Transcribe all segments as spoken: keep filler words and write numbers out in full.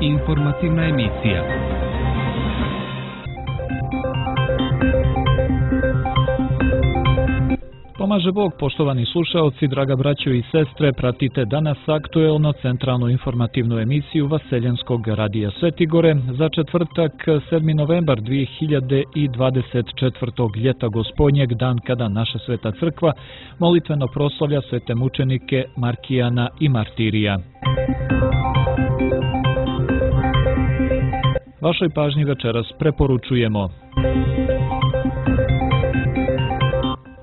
Informativna emisija. Pomaže Bog, poštovani slušaoci, draga braćo i sestre, pratite danas aktuelno centralnu informativnu emisiju Vaseljenskog radija Svetigore za četvrtak sedmi novembar dvije hiljade dvadeset četvrtog ljeta Gospodnjeg, dan kada naša sveta crkva molitveno proslavlja svete mučenike Markijana i Martirija. Vašoj pažnji večeras preporučujemo: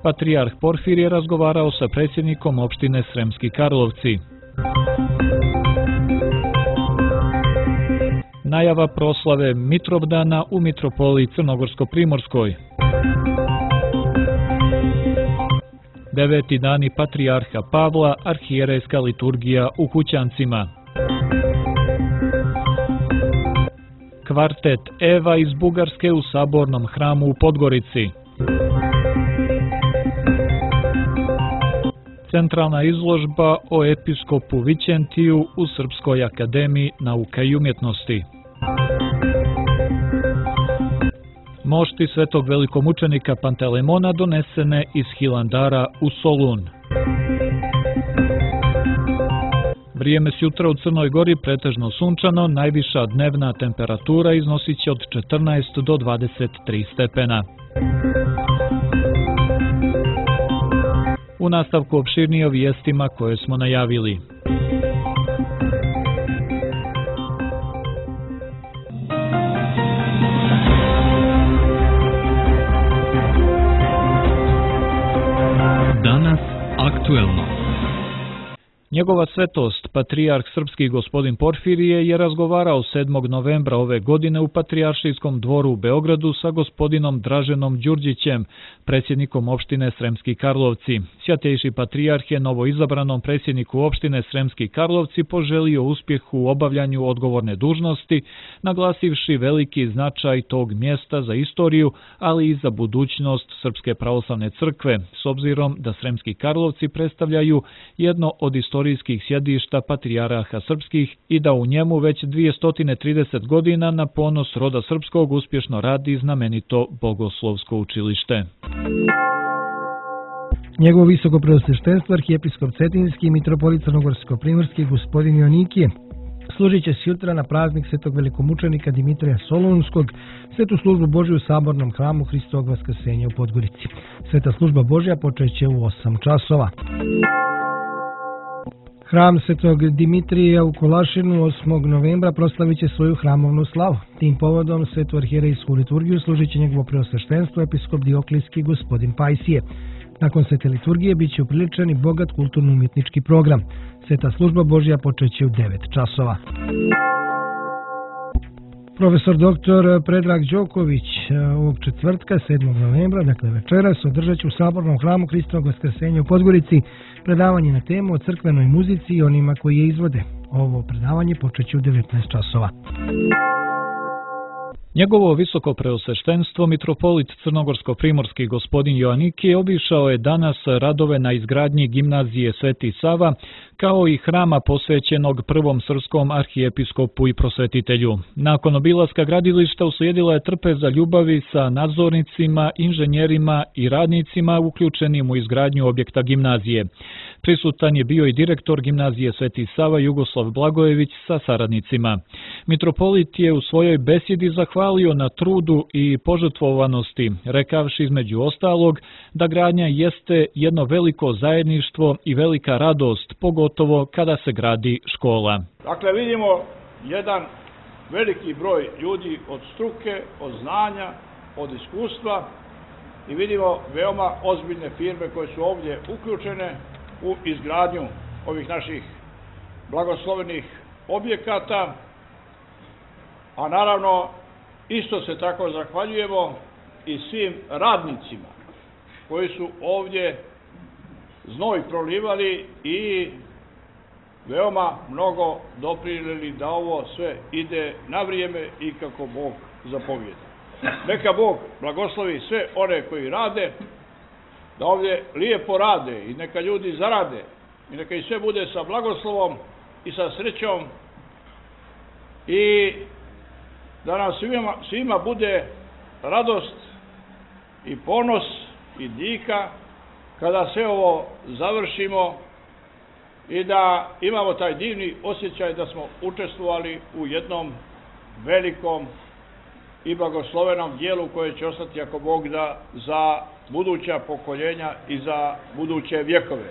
Patrijarh Porfir je razgovarao sa predsjednikom opštine Sremski Karlovci. Najava proslave Mitrovdana u mitropoliji Crnogorsko-Primorskoj. Deveti dani Patrijarha Pavla, arhijerejska liturgija u Kućancima. Kvartet Eva iz Bugarske u Sabornom hramu u Podgorici. Centralna izložba o episkopu Vićentiju u Srpskoj akademiji nauka i umjetnosti. Mošti svetog velikomučenika Pantelemona donesene iz Hilandara u Solun. Vrijeme s jutra u Crnoj Gori pretežno sunčano, najviša dnevna temperatura iznosit će od četrnaest do dvadeset tri stepena. U nastavku opširnije o vijestima koje smo najavili. Danas aktuelno. Njegova svetost, patrijarh srpski gospodin Porfirije, je razgovarao sedmog novembra ove godine u Patrijaršijskom dvoru u Beogradu sa gospodinom Draženom Đurđićem, predsjednikom opštine Sremski Karlovci. Svjatejši patrijarh je novoizabranom predsjedniku opštine Sremski Karlovci poželio uspjeh u obavljanju odgovorne dužnosti, naglasivši veliki značaj tog mjesta za istoriju, ali i za budućnost Srpske pravoslavne crkve, s obzirom da Sremski Karlovci predstavljaju jedno od istorijskih sjedišta patrijaraha srpskih i da u njemu već dvjesto trideset godina na ponos roda srpskog uspješno radi znamenito bogoslovsko učilište. Njegovo visoko preosveštenstvo arhijepiskop Cetinjski i mitropolit Crnogorsko-Primorski gospodin Joanikije služit će sutra na praznik svetog velikomučenika Dimitrija Solunskog, svetu službu Božju u Sabornom hramu Hristovog vaskrsenja u Podgorici. Sveta služba Božja počeće u osam časova. Hram svetog Dimitrija u Kolašinu osmog novembra proslavit će svoju hramovnu slavu. Tim povodom svetu arhijerejsku liturgiju služit će njegovo preosveštenstvo episkop Dioklijski gospodin Pajsije. Nakon svete liturgije bit će upriličen i bogat kulturno-umjetnički program. Sveta služba Božja počeće u devet časova. Profesor doktor Predrag Đoković ovog četvrtka, sedmog novembra, dakle večeras, održat će u Sabornom hramu Hristovog vaskrsenja u Podgorici predavanje na temu o crkvenoj muzici i onima koji je izvode. Ovo predavanje počeće u devetnaest časova. Njegovo visoko preosveštenstvo mitropolit Crnogorsko-Primorski gospodin Joanikije obišao je danas radove na izgradnji gimnazije Sveti Sava, kao i hrama posvećenog prvom srpskom arhijepiskopu i prosvetitelju. Nakon obilaska gradilišta uslijedila je trpeza ljubavi sa nadzornicima, inženjerima i radnicima uključenim u izgradnju objekta gimnazije. Prisutan je bio i direktor gimnazije Sveti Sava Jugoslav Blagojević sa saradnicima. Mitropolit je u svojoj besjedi zahvalio na trudu i požrtvovanosti, rekavši između ostalog da gradnja jeste jedno veliko zajedništvo i velika radost, pogotovo kada se gradi škola. Dakle, vidimo jedan veliki broj ljudi od struke, od znanja, od iskustva i vidimo veoma ozbiljne firme koje su ovdje uključene u izgradnju ovih naših blagoslovenih objekata, a naravno isto se tako zahvaljujemo i svim radnicima koji su ovdje znoj prolivali i veoma mnogo doprinijeli da ovo sve ide na vrijeme i kako Bog zapovijeda. Neka Bog blagoslovi sve one koji rade, da ovdje lijepo rade i neka ljudi zarade i neka i sve bude sa blagoslovom i sa srećom i da nam svima, svima bude radost i ponos i dika kada sve ovo završimo i da imamo taj divni osjećaj da smo učestvovali u jednom velikom i blagoslovenom dijelu koje će ostati, ako Bog da, za buduća pokoljenja i za buduće vjekove.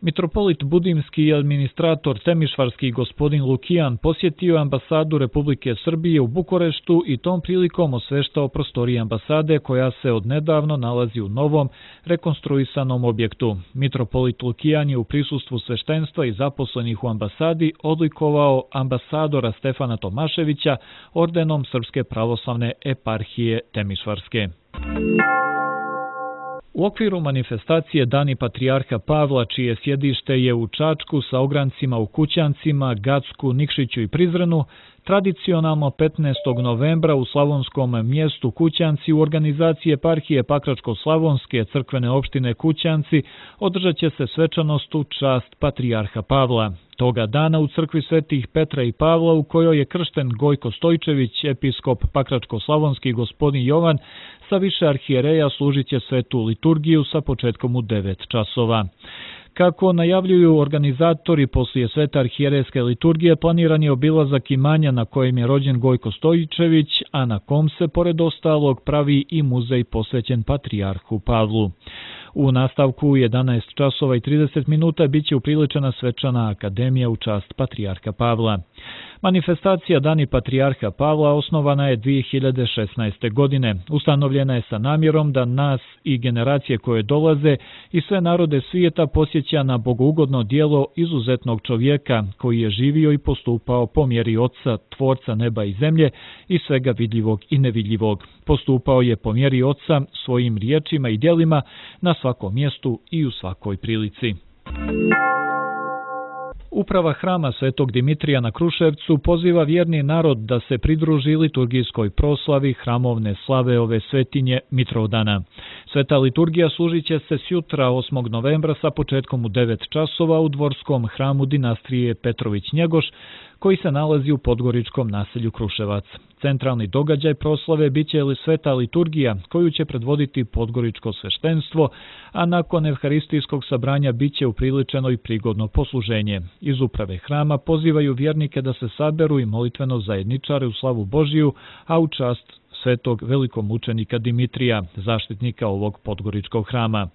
Mitropolit Budimski i administrator Temišvarski gospodin Lukijan posjetio ambasadu Republike Srbije u Bukureštu i tom prilikom osveštao prostorije ambasade koja se odnedavno nalazi u novom, rekonstruisanom objektu. Mitropolit Lukijan je u prisustvu sveštenstva i zaposlenih u ambasadi odlikovao ambasadora Stefana Tomaševića ordenom Srpske pravoslavne eparhije Temišvarske. U okviru manifestacije Dani Patrijarha Pavla, čije sjedište je u Čačku sa ograncima u Kućancima, Gacku, Nikšiću i Prizrenu, tradicionalno petnaestog novembra u slavonskom mjestu Kućanci u organizaciji eparhije Pakračko-slavonske crkvene opštine Kućanci održat će se svečanost u čast Patrijarha Pavla. Toga dana u crkvi svetih Petra i Pavla, u kojoj je kršten Gojko Stojčević, episkop Pakračko-slavonski gospodin Jovan, sa više arhijereja služit će svetu liturgiju sa početkom u devet časova. Kako najavljuju organizatori, poslije svete arhijerejske liturgije planiran je obilazak imanja na kojem je rođen Gojko Stojčević, a na kom se, pored ostalog, pravi i muzej posvećen Patrijarhu Pavlu. U nastavku u jedanaest časova i trideset minuta biće upriličena svečana akademija u čast Patrijarha Pavla. Manifestacija Dani Patrijarha Pavla osnovana je dvije hiljade šesnaeste. godine. Ustanovljena je sa namjerom da nas i generacije koje dolaze i sve narode svijeta posjeća na bogougodno djelo izuzetnog čovjeka koji je živio i postupao po mjeri Oca, Tvorca neba i zemlje i svega vidljivog i nevidljivog. Postupao je po mjeri Oca svojim riječima i djelima na svakom mjestu i u svakoj prilici. Uprava hrama Svetog Dimitrija na Kruševcu poziva vjerni narod da se pridruži liturgijskoj proslavi hramovne slave ove svetinje Mitrovdana. Sveta liturgija služit će se sjutra osmog novembra sa početkom u devet časova u dvorskom hramu dinastije Petrović-Njegoš, koji se nalazi u podgoričkom naselju Kruševac. Centralni događaj proslave biće li sveta liturgija koju će predvoditi podgoričko sveštenstvo, a nakon evharistijskog sabranja biće upriličeno i prigodno posluženje. Iz uprave hrama pozivaju vjernike da se saberu i molitveno zajedničare u slavu Božiju, a u čast svetog velikomučenika Dimitrija, zaštitnika ovog podgoričkog hrama.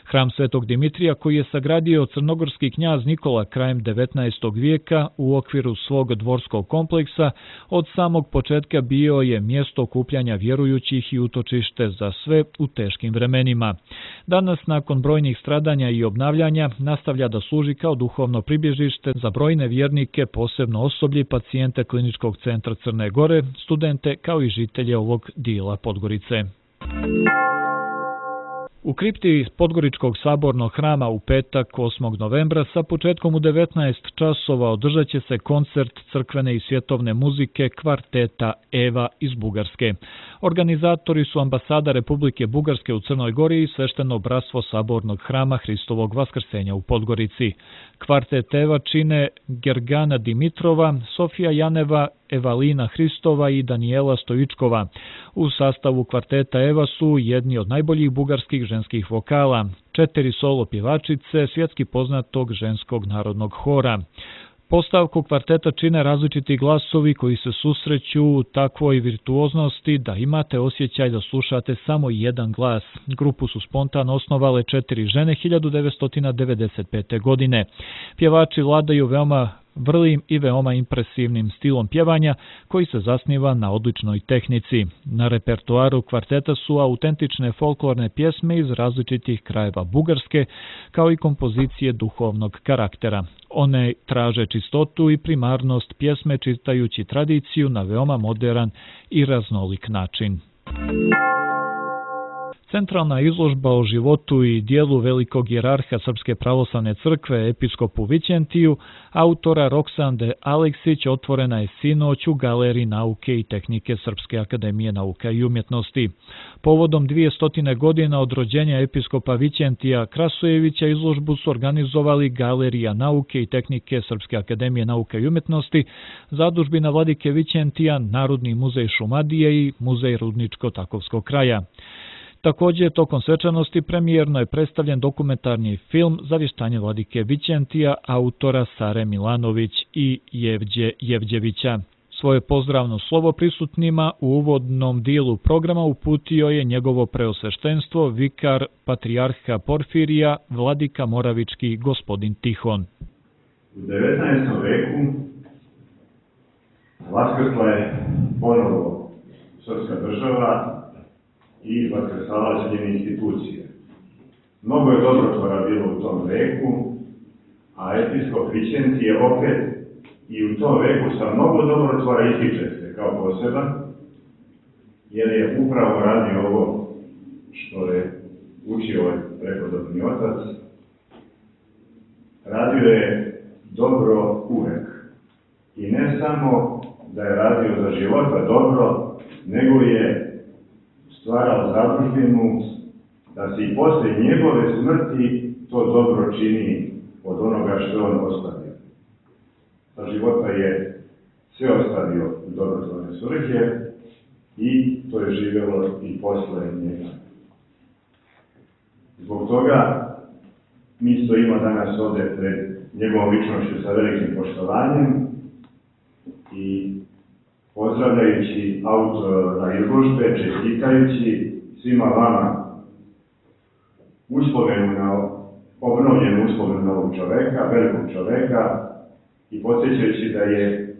Hram Svetog Dimitrija, koji je sagradio crnogorski knjaz Nikola krajem devetnaestog vijeka u okviru svog dvorskog kompleksa, od samog početka bio je mjesto okupljanja vjerujućih i utočište za sve u teškim vremenima. Danas, nakon brojnih stradanja i obnavljanja, nastavlja da služi kao duhovno pribježište za brojne vjernike, posebno osoblje, pacijente Kliničkog centra Crne Gore, studente kao i žitelje ovog dijela Podgorice. U kripti Podgoričkog sabornog hrama u petak osmog novembra sa početkom u devetnaest časova održat će se koncert crkvene i svjetovne muzike kvarteta Eva iz Bugarske. Organizatori su ambasada Republike Bugarske u Crnoj Gori i svešteno bratstvo sabornog hrama Hristovog vaskrsenja u Podgorici. Kvartet Eva čine Gergana Dimitrova, Sofija Janeva, Evalina Hristova i Danijela Stojičkova. U sastavu kvarteta Eva su jedni od najboljih bugarskih ženskih vokala, četiri solo pjevačice svjetski poznatog ženskog narodnog hora. Postavku kvarteta čine različiti glasovi koji se susreću u takvoj virtuoznosti da imate osjećaj da slušate samo jedan glas. Grupu su spontano osnovale četiri žene hiljadu devetsto devedeset pete. godine. Pjevači vladaju veoma vrlim i veoma impresivnim stilom pjevanja koji se zasniva na odličnoj tehnici. Na repertoaru kvarteta su autentične folklorne pjesme iz različitih krajeva Bugarske, kao i kompozicije duhovnog karaktera. One traže čistotu i primarnost pjesme čitajući tradiciju na veoma moderan i raznolik način. Centralna izložba o životu i dijelu velikog jerarha Srpske pravoslavne crkve episkopu Vićentiju, autora Roksande Aleksić, otvorena je sinoć u Galeriji nauke i tehnike Srpske akademije nauka i umjetnosti. Povodom dvijestotine godina od rođenja episkopa Vićentija Krasojevića izložbu su organizovali Galerija nauke i tehnike Srpske akademije nauka i umjetnosti, Zadužbina vladike Vićentija, Narodni muzej Šumadije i Muzej Rudničko-Takovskog kraja. Također, tokom svečanosti premijerno je predstavljen dokumentarni film Zavještanje vladike Vićentija autora Sare Milanović i Jevđe Jevđevića. Svoje pozdravno slovo prisutnima u uvodnom dijelu programa uputio je njegovo preosveštenstvo vikar patrijarha Porfirija, vladika Moravički gospodin Tihon. U devetnaestom veku vaskrsla je ponovo srpska država i vaskrsala njene institucije. Mnogo je dobrotvora bilo u tom veku, a episkop Vićentije opet i u tom veku sa mnogo dobrotvora ističe se kao poseban, jer je upravo radio ovo što je učio ovaj prepodobni otac. Radio je dobro uvek. I ne samo da je radio za života dobro, nego je stvarao zadužbinu da se i posle njegove smrti to dobro čini od onoga što on ostavio. Za života je sve ostavio u dobrotvorne svrhe i to je živjelo i posle njega. Zbog toga mi stojimo danas ovde pred njegovom ličnošću sa velikim poštovanjem i pozdravljajući autora izložbe, čestitajući svima vama uspomenu na obnovljenu uspomenu novog čoveka, velikog čoveka, i podsjećajući da je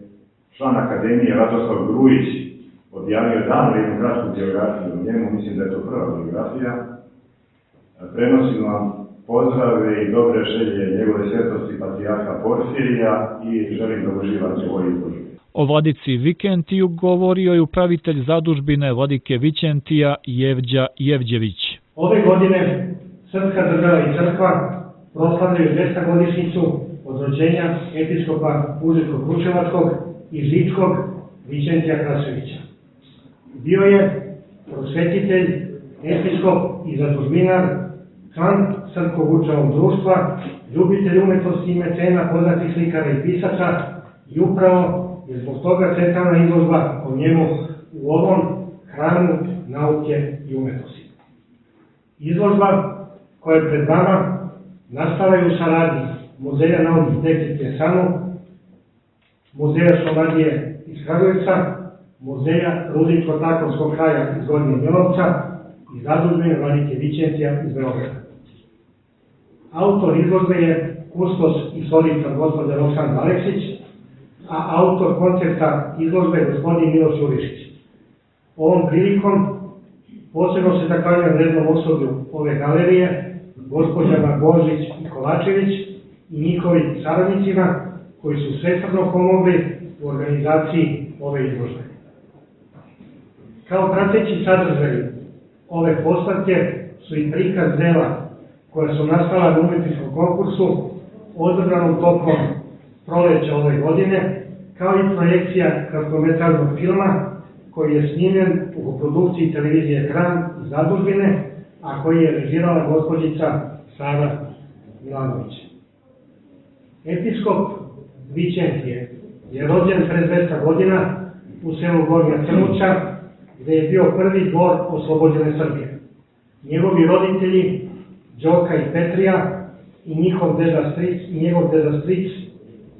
član Akademije Radoslav Grujić objavio davno jednu kratku biografiju o njemu, mislim da je to prva biografija. Prenosim vam pozdrave i dobre želje njegove svetosti patrijarha Porfirija i želim da uživate u ovoj izložbi. O vladici Vićentiju govorio je upravitelj zadužbine vladike Vićentija Jevđa Jevđević. Ove godine Srpska država i crkva proslavljaju dvestogodišnjicu od rođenja episkopa Užičko-Kruševačkog i Žičkog Vićentija Krasojevića. Bio je prosvetitelj, episkop i zadužbinar, član Srpskog učenog društva, ljubitelj umetnosti i mecena, poznatih slikara i pisaca, i upravo je zbog toga centralna izložba o njemu u ovom hramu nauke i umetnosti. Izložba koja je pred vama nastala je u saradnji Muzeja nauke i tehnike SANU, Muzeja Šumadije iz Kragujevca, Muzeja Rudničko-Takovskog kraja iz Gornjeg Milanovca i Zadužbine vladike Vićentija iz Beograda. Autor izložbe je kustos i istoričar gospođa Roksanda Aleksić, a autor koncepta izložbe je gospodin Miloš Jurišić. Ovom prilikom posebno se zahvaljujem rednom osoblju ove galerije, gospođama Božić i Kolačević i njihovim saradnicima koji su svesrdno pomogli u organizaciji ove izložbe. Kao prateći sadržaj ove postavke su i prikaz dela koja su nastala na umetničkom konkursu održanom tokom proleća ove godine, kao i projekcija kratkometražnog filma koji je snimljen u produkciji televizije Ekran i Zadužbine, a koji je režirala gospođica Sara Milanović. Episkop Vićentije je rođen pre dvesta godina u selu Gornja Crnuća, gde je bio prvi dvor oslobođene Srbije. Njegovi roditelji, Đoka i Petrija, i njihov deda stric, i njegov deda stric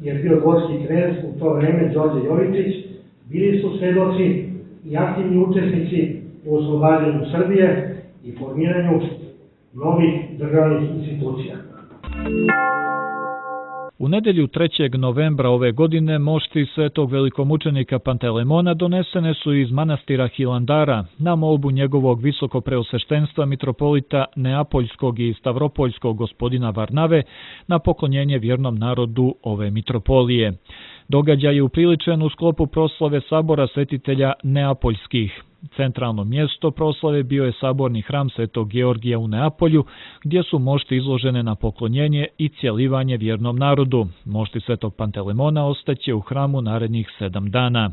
je bio dvorski knez u to vreme, Đorđe Jovičić, bili su svedoci i aktivni učesnici u oslobađanju Srbije i formiranju novih državnih institucija. U nedelju trećeg novembra ove godine mošti svetog velikomučenika Pantelemona donesene su iz manastira Hilandara na molbu njegovog visokopreosveštenstva mitropolita Neapoljskog i Stavropoljskog gospodina Varnave na poklonjenje vjernom narodu ove mitropolije. Događaj je upriličen u sklopu proslave sabora svetitelja Neapoljskih. Centralno mjesto proslave bio je saborni hram Svetog Georgija u Neapolju, gdje su mošti izložene na poklonjenje i cjelivanje vjernom narodu. Mošti Svetog Pantelemona ostaće u hramu narednih sedam dana.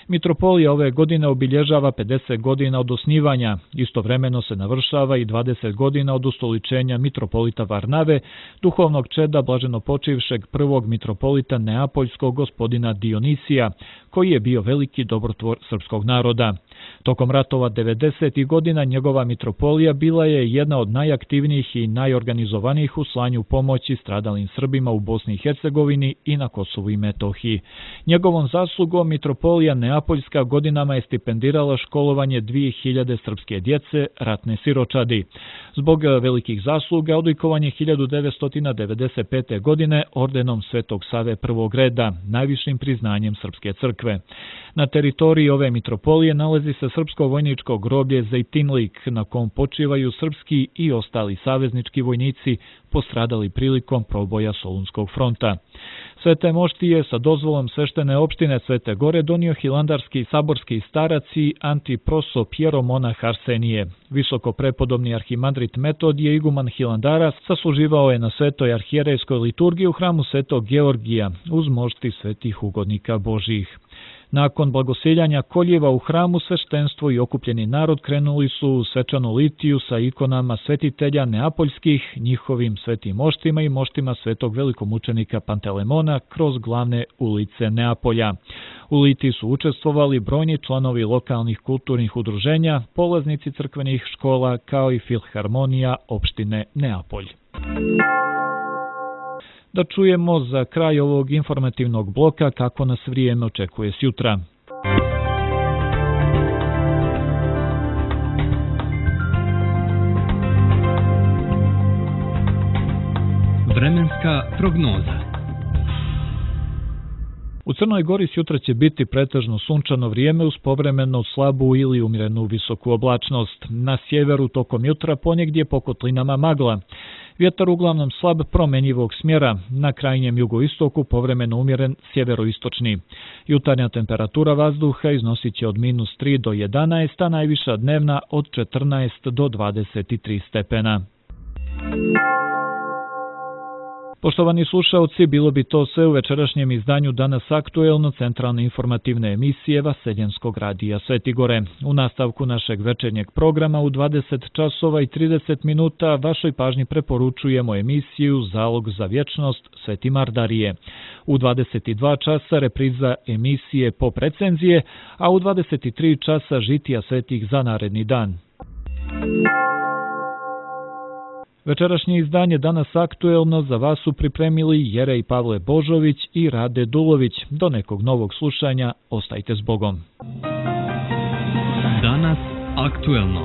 Mitropolija ove godine obilježava pedeset godina od osnivanja. Istovremeno se navršava i dvadeset godina od ustoličenja mitropolita Varnave, duhovnog čeda blaženopočivšeg prvog mitropolita Neapoljskog gospodina Dionisija, koji je bio veliki dobrotvor srpskog naroda. Tokom ratova devedesetih godina njegova mitropolija bila je jedna od najaktivnijih i najorganizovanijih u slanju pomoći stradalim Srbima u Bosni i Hercegovini i na Kosovu i Metohiji. Njegovom zaslugom mitropolija Neapoljska godinama je stipendirala školovanje dvije hiljade srpske djece, ratne siročadi. Zbog velikih zasluga odlikovan je hiljadu devetsto devedeset pete. godine ordenom Svetog Save prvog reda, najvišim priznanjem Srpske crkve. Na teritoriji ove mitropolije nalazi se srpsko vojničko groblje Zejtinlik, na kom počivaju srpski i ostali saveznički vojnici postradali prilikom proboja Solunskog fronta. Svete moštije sa dozvolom sveštene opštine Svete Gore donio hilandarski saborski starac i antiproso Pjeromonah Arsenije. Visoko prepodobni arhimandrit Metodije, iguman Hilandara, sasluživao je na svetoj arhijerejskoj liturgiji u hramu Svetog Georgija uz mošti svetih ugodnika Božjih. Nakon blagosiljanja koljeva u hramu, sveštenstvo i okupljeni narod krenuli su u svečanu litiju sa ikonama svetitelja Neapoljskih, njihovim svetim moštima i moštima svetog velikomučenika Pantelemona kroz glavne ulice Neapolja. U litiji su učestvovali brojni članovi lokalnih kulturnih udruženja, polaznici crkvenih škola kao i filharmonija opštine Neapolj. Da čujemo za kraj ovog informativnog bloka kako nas vrijeme očekuje sjutra. Vremenska prognoza. U Crnoj Gori sjutra će biti pretežno sunčano vrijeme uz povremeno slabu ili umjerenu visoku oblačnost. Na sjeveru tokom jutra ponegdje po kotlinama magla. Vjetar uglavnom slab promenjivog smjera, na krajnjem jugoistoku povremeno umjeren sjeveroistočni. Jutarnja temperatura vazduha iznosit će od minus tri do jedanaest, a najviša dnevna od četrnaest do dvadeset tri stepena. Poštovani slušalci, bilo bi to sve u večerašnjem izdanju Danas aktuelno centralne informativne emisije Vaseljenskog radija Sveti Gore. U nastavku našeg večernjeg programa u dvadeset časova i trideset minuta vašoj pažnji preporučujemo emisiju Zalog za vječnost Sveti Mardarije. U dvadeset dva časa repriza emisije Pop recenzije, a u dvadeset tri časa žitija svetih za naredni dan. Večerašnje izdanje Danas aktuelno za vas su pripremili Jerej Pavle Božović i Rade Dulović. Do nekog novog slušanja, ostajte s Bogom. Danas aktuelno.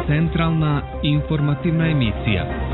Centralna informativna emisija.